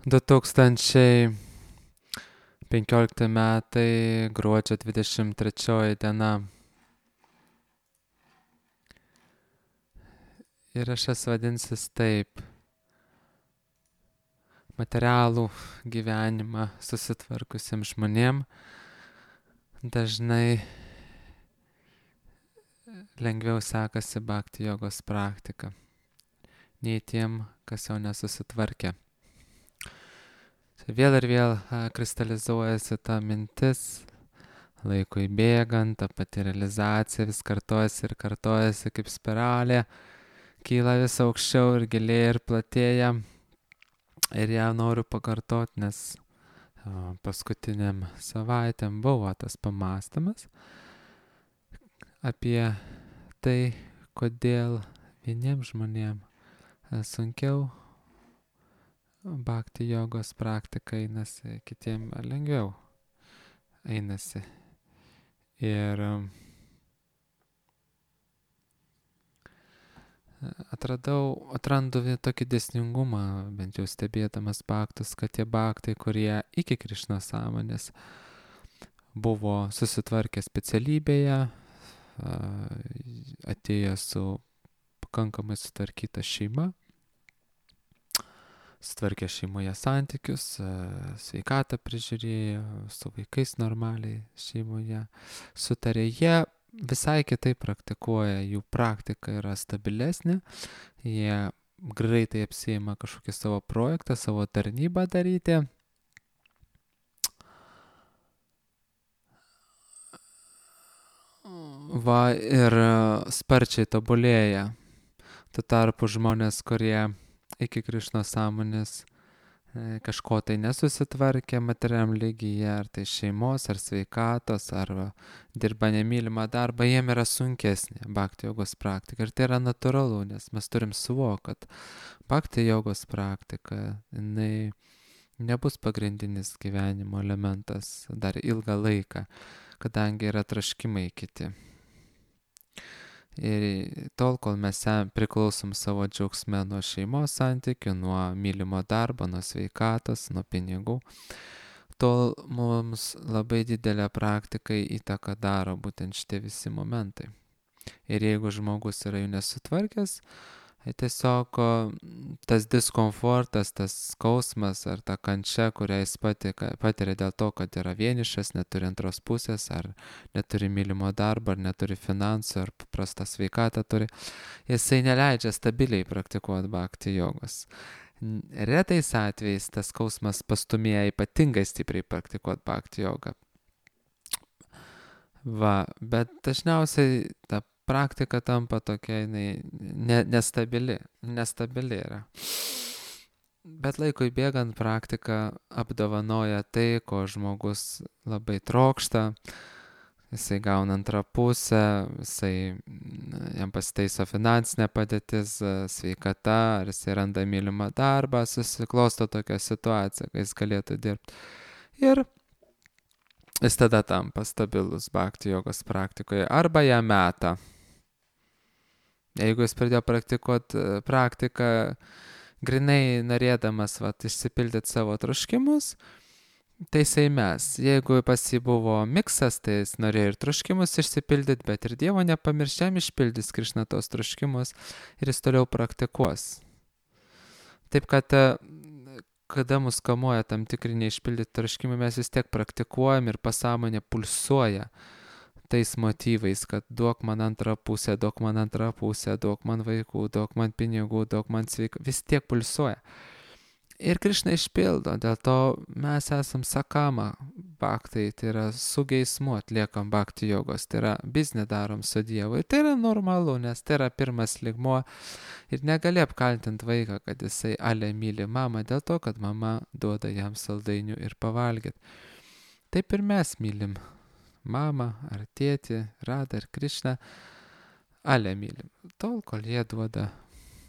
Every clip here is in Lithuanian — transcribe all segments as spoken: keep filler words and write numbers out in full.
du tūkstančiai penkiolikti metai, gruodžio dvidešimt trečioji diena. Įrašas vadinsis taip. Materialų gyvenimą susitvarkusiems žmonėm dažnai lengviau sekasi bhakti jogos praktika, nei tiem, kas jau nesusitvarkė. Vėl ir vėl kristalizuojasi ta mintis, laikui bėgant, ta pati realizacija vis kartojasi ir kartojasi kaip spiralė, kyla vis aukščiau ir gilėja ir platėja. Ir ją noriu pakartoti, nes paskutiniam savaitėm buvo tas pamąstymas apie tai, kodėl vieniems žmonėms sunkiau bhakti jogos praktika einasi, kitiem lengviau einasi. Ir atradau, atrandu tokį dėsningumą, bent jau stebėdamas bhaktus, kad tie bhaktai, kurie iki Krišnos sąmonės buvo susitvarkę specialybėje, atėjo su pakankamai sutvarkyta šeima, sutvarkė šeimoje santykius, sveikatą prižiūrėjo, su vaikais normaliai šeimoje sutarė, jie visai kitaip praktikuoja, jų praktika yra stabilesnė, jie greitai apsiima kažkokį savo projektą, savo tarnybą daryti. Va, ir sparčiai tobulėja. Tuo tarpu žmonės, kurie iki Krišnos sąmonės kažko tai nesusitvarkė materialiam lygyje, ar tai šeimos, ar sveikatos, ar dirba nemylimą darbą, jiem yra sunkesnė bhakti jogos praktika. Ir tai yra natūralu, nes mes turim suvokti, kad bhakti jogos praktika, jinai nebus pagrindinis gyvenimo elementas dar ilgą laiką, kadangi yra troškimai kiti. Ir tol, kol mes priklausom savo džiaugsme nuo šeimos santykių, nuo mylimo darbo, nuo sveikatos, nuo pinigų, tol mums labai didelę praktikai įtaką daro būtent šitie visi momentai. Ir jeigu žmogus yra jų nesutvarkęs, tiesiog tas diskomfortas, tas skausmas ar ta kančia, kurią jis patiria dėl to, kad yra vienišas, neturi antros pusės, ar neturi mylimo darbo, ar neturi finansų, ar prastą sveikatą turi, jisai neleidžia stabiliai praktikuoti bhakti jogos. Retais atvejais tas skausmas pastumėja ypatingai stipriai praktikuoti bhakti jogą. Va, bet dažniausiai ta praktika tampa tokia, jinai ne, nestabili, nestabili yra. Bet laikui bėgant praktika apdovanoja tai, ko žmogus labai trokšta, jisai gauna antrą pusę, jisai, jam pasitaiso finansinė padėtis, sveikata, ar jisai randa mylimą darbą, susiklosto tokia situacija, kai jis galėtų dirbti. Ir jis tada tampa stabilus bhakti jogos praktikoje, arba ją meta. Jeigu jis pradėjo praktikuoti praktiką, grinai norėdamas vat, išsipildyti savo troškimus, tai jisai mes. Jeigu pas jį buvo miksas, tai jis norėjo ir troškimus išsipildyti, bet ir Dievo nepamirščiam išpildys Krišna tos troškimus ir jis toliau praktikuos. Taip kad, kada mus kamuoja tam tikri neišpildyti troškimai, mes vis tiek praktikuojam ir pasąmonė pulsuoja tais motyvais, kad duok man antrą pusę, duok man antrą pusę, duok man vaikų, duok man pinigų, duok man sveika, vis tiek pulsuoja. Ir Krišna išpildo, dėl to mes esam sakama bhaktai, tai yra su geismu atliekam bhakti jogos, tai yra biznį darom su Dievu. Ir tai yra normalu, nes tai yra pirmas lygmuo ir negali apkaltinti vaiką, kad jisai ale myli mamą dėl to, kad mama duoda jam saldainių ir pavalgyti. Taip ir mes mylim mamą ar tėtį, Radą ar Krišną, ale mylim. Tol, kol jie duoda,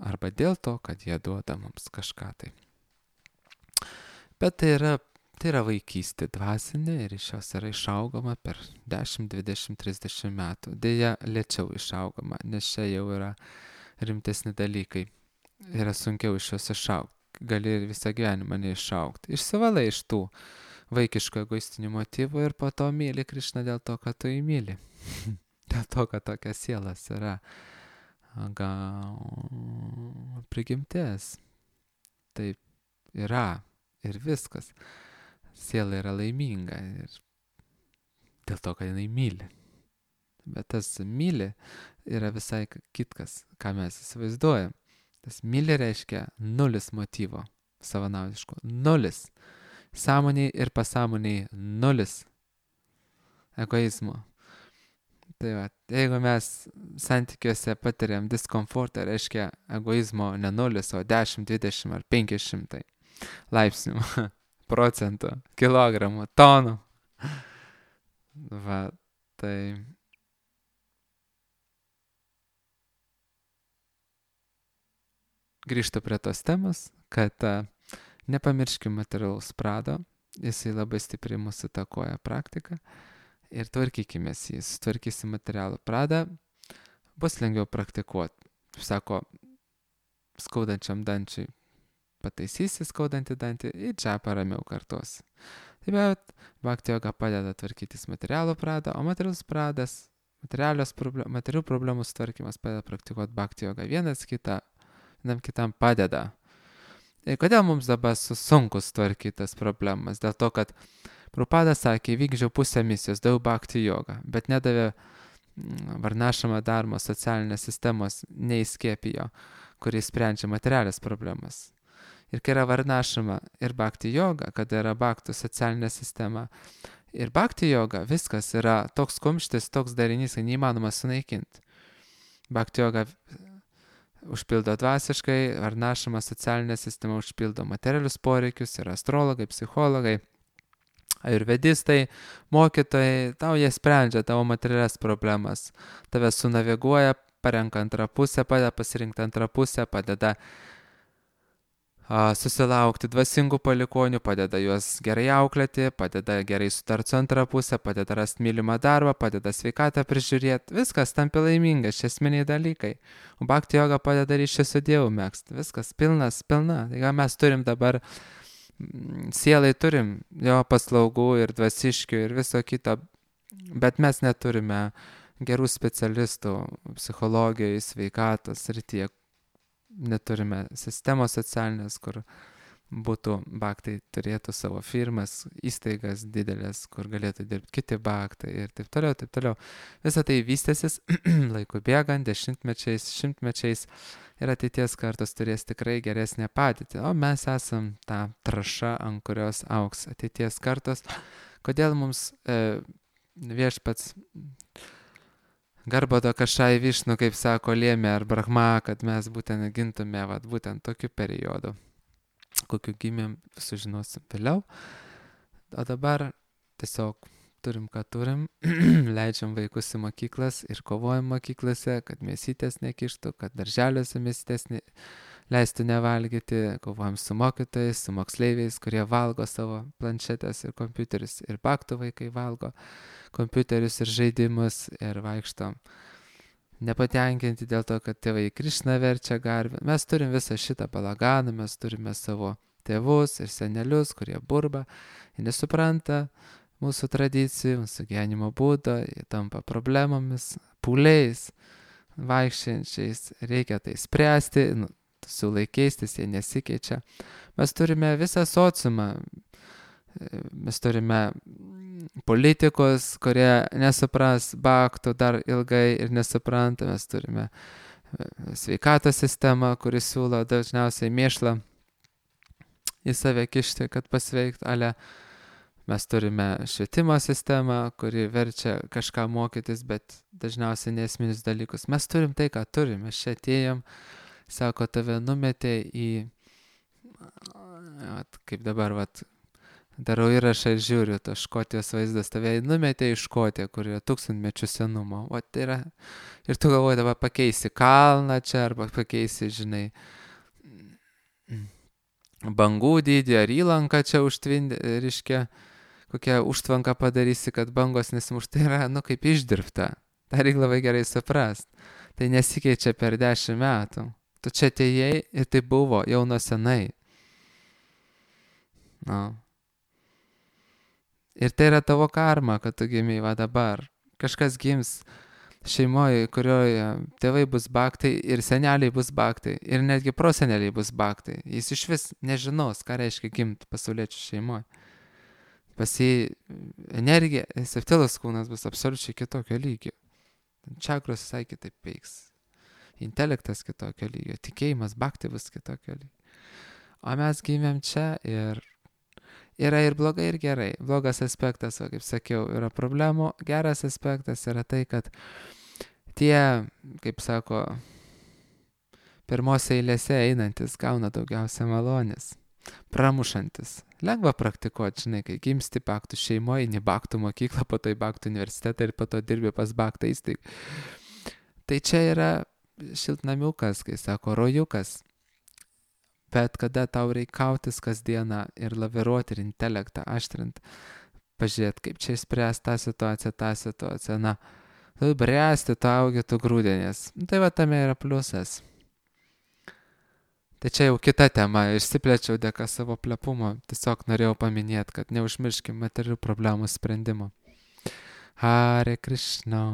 arba dėl to, kad jie duoda mums kažką tai. Bet tai yra, tai yra vaikystė dvasinė ir iš jos yra išaugama per dešimt, dvidešimt, trisdešimt metų. Deja, lėčiau išaugama, nes čia jau yra rimtesni dalykai. Yra sunkiau iš jos išaugti. gali ir visą gyvenimą neišaukti. Išsivalai iš tų vaikiškų egoistinių motyvų ir po to myli Krišną dėl to, kad tu jį myli. Dėl to, kad tokia sielas yra gal prigimtis. Taip yra ir viskas. Siela yra laiminga ir dėl to, kad jinai myli. Bet tas myli yra visai kitkas, ką mes įsivaizduojam. Tas myli reiškia nulis motyvo savanaudiško. Nulis. Sąmoniai ir pasąmoniai nulis egoizmo. Tai va, jeigu mes santykiuose patiriam diskomfortą, reiškia egoizmo ne nulis, o dešimt, dvidešimt ar penki šimtai laipsnių, procentų, kilogramų, tonų. Va, tai grįžtu prie tos temos, kad uh, nepamirškim materialaus prado, jisai labai stipriai mūsų įtakoja praktiką ir tvarkykimės jį, sutvarkysim materialų pradą, bus lengviau praktikuoti. Sako, skaudančiam dančiui pataisysi skaudantį dantį ir čia paramiau kartos. Taip bet bhakti joga padeda tvarkytis materialų pradą, o materialus pradas, problem, materialių problemų sutvarkymas padeda praktikuoti bhakti jogą. Vienas kitą, vienam kitam padeda. Ir kodėl mums dabar sunku sutvarkyti tas problemas? Dėl to, kad Prabhupada sakė, vykdžiau pusę misijos, daug bhakti jogą, bet nedavė varnašamą dharmo socialinės sistemos, neįskiepijo, kuris sprendžia materialės problemas. Ir kai yra varnašama ir bhakti joga, kada yra bhaktų socialinė sistema, ir bhakti joga, viskas yra toks kumštis, toks darinys, kad neįmanoma sunaikinti. Bhakti joga užpildo dvasiškai, varnašama socialinė sistema užpildo materialius poreikius, yra astrologai, psichologai, ajurvedistai, mokytojai, tau jie sprendžia tavo materialias problemas, tave sunaviguoja, parenka antrą pusę, padeda pasirinkti antrą pusę, padeda a, susilaukti dvasingų palikonių, padeda juos gerai auklėti, padeda gerai sutarti su antrą pusę, padeda rasti mylimą darbą, padeda sveikatą prižiūrėti, viskas tampi laimingas, šie esminiai dalykai. O bhakti joga padeda ryšį su Dievu megzti, viskas pilnas, pilna. Tai mes turim dabar sielai turim jo paslaugų ir dvasiškių ir viso kito, bet mes neturime gerų specialistų psichologijai, sveikatos srityje, neturime sistemos socialinės, kur būtų bhaktai, turėtų savo firmas, įstaigas didelės, kur galėtų dirbti kiti bhaktai ir taip toliau, taip toliau. Visą tai vystėsis laiku bėgant, dešimtmečiais, šimtmečiais ir ateities kartos turės tikrai geresnę padėtį. O mes esam ta trąša, ant kurios augs ateities kartos. Kodėl mums e, viešpats Garbado Kašai Višnu, kaip sako, lėmė ar Brahma, kad mes būtent gintume vat, būtent tokiu periodu, kokiu gimėm, sužinosim vėliau. O dabar tiesiog turim, ką turim, leidžiam vaikus į mokyklas ir kovojam mokyklose, kad mėsytės nekištų, kad darželiuose mėsytės ne, leistų nevalgyti, kovojam su mokytojais, su moksleiviais, kurie valgo savo planšetės ir kompiuterius, ir bhaktų vaikai valgo kompiuterius ir žaidimus ir vaikštom nepatenkinti dėl to, kad tėvai Krišną verčia garbę. Mes turim visą šitą balaganą, mes turime savo tėvus ir senelius, kurie burba ir nesupranta mūsų tradicijų, mūsų gyvenimo būdo, jie tampa problemomis, pūliais, vaikščiančiais, reikia tai spręsti, nu, siūlai keistis, jie nesikeičia. Mes turime visą sociumą, mes turime politikus, kurie nesupras bhaktų dar ilgai ir nesupranta, mes turime sveikatos sistemą, kuris siūlo dažniausiai mėšlą į save kišti, kad pasveikt, ale mes turime švietimo sistemą, kuri verčia kažką mokytis, bet dažniausiai nesminius dalykus. Mes turim tai, ką turim, mes čia atėjom, sako, tave numetė į, at, kaip dabar, vat, darau įrašą ir žiūriu, to Škotijos vaizdas, tave numetė į Škotiją, kur yra tūkstantmečių senumo. O tai yra, ir tu galvoji, dabar pakeisi kalną čia, arba pakeisi, žinai, bangų dydį, ar įlanką čia užtvindė, reiškia, kokią užtvanką padarysi, kad bangos nesimuš. Tai yra, nu, kaip išdirbta. Tai reikia labai gerai suprast. Tai nesikeičia per dešimt metų. Tu čia atėjai ir tai buvo jau nuo senai. Nu. Ir tai yra tavo karma, kad tu gimiai va dabar. Kažkas gims šeimoje, kurioje tėvai bus baktai ir seneliai bus baktai ir netgi proseneliai bus baktai. Jis iš vis nežinos, ką reiškia gimti pasauliečių šeimoje. Pas jį energija, septilas kūnas bus absoliučiai kitokio lygio. Čakros visai kitaip veiks. Intelektas kitokio lygio, tikėjimas, baktai bus kitokio lygio. O mes gimėm čia ir yra ir blogai, ir gerai. Blogas aspektas, o kaip sakiau, yra problemų. Geras aspektas yra tai, kad tie, kaip sako, pirmose eilėse einantis gauna daugiausia malonės. Pramušantis. Lengva praktikuoti, žinai, kai gimsti baktų šeimoje, eini baktų mokyklą, po to į baktų universitetą ir po to dirbi pas baktą įstaigą. Tai čia yra šiltnamiukas, kai sako, rojukas. Bet kada tau reikia kautis kasdieną ir laviruoti ir intelektą aštrint, pažiūrėti, kaip čia išspręsti tą situaciją, tą situaciją, na, tu bręsti, tu augi, tu grūdinės. Tai va tame yra pliusas. Tai čia jau kita tema, išsiplėčiau dėka savo plepumo, tiesiog norėjau paminėti, kad neužmirškim materialių problemų sprendimo. Hare Krishna.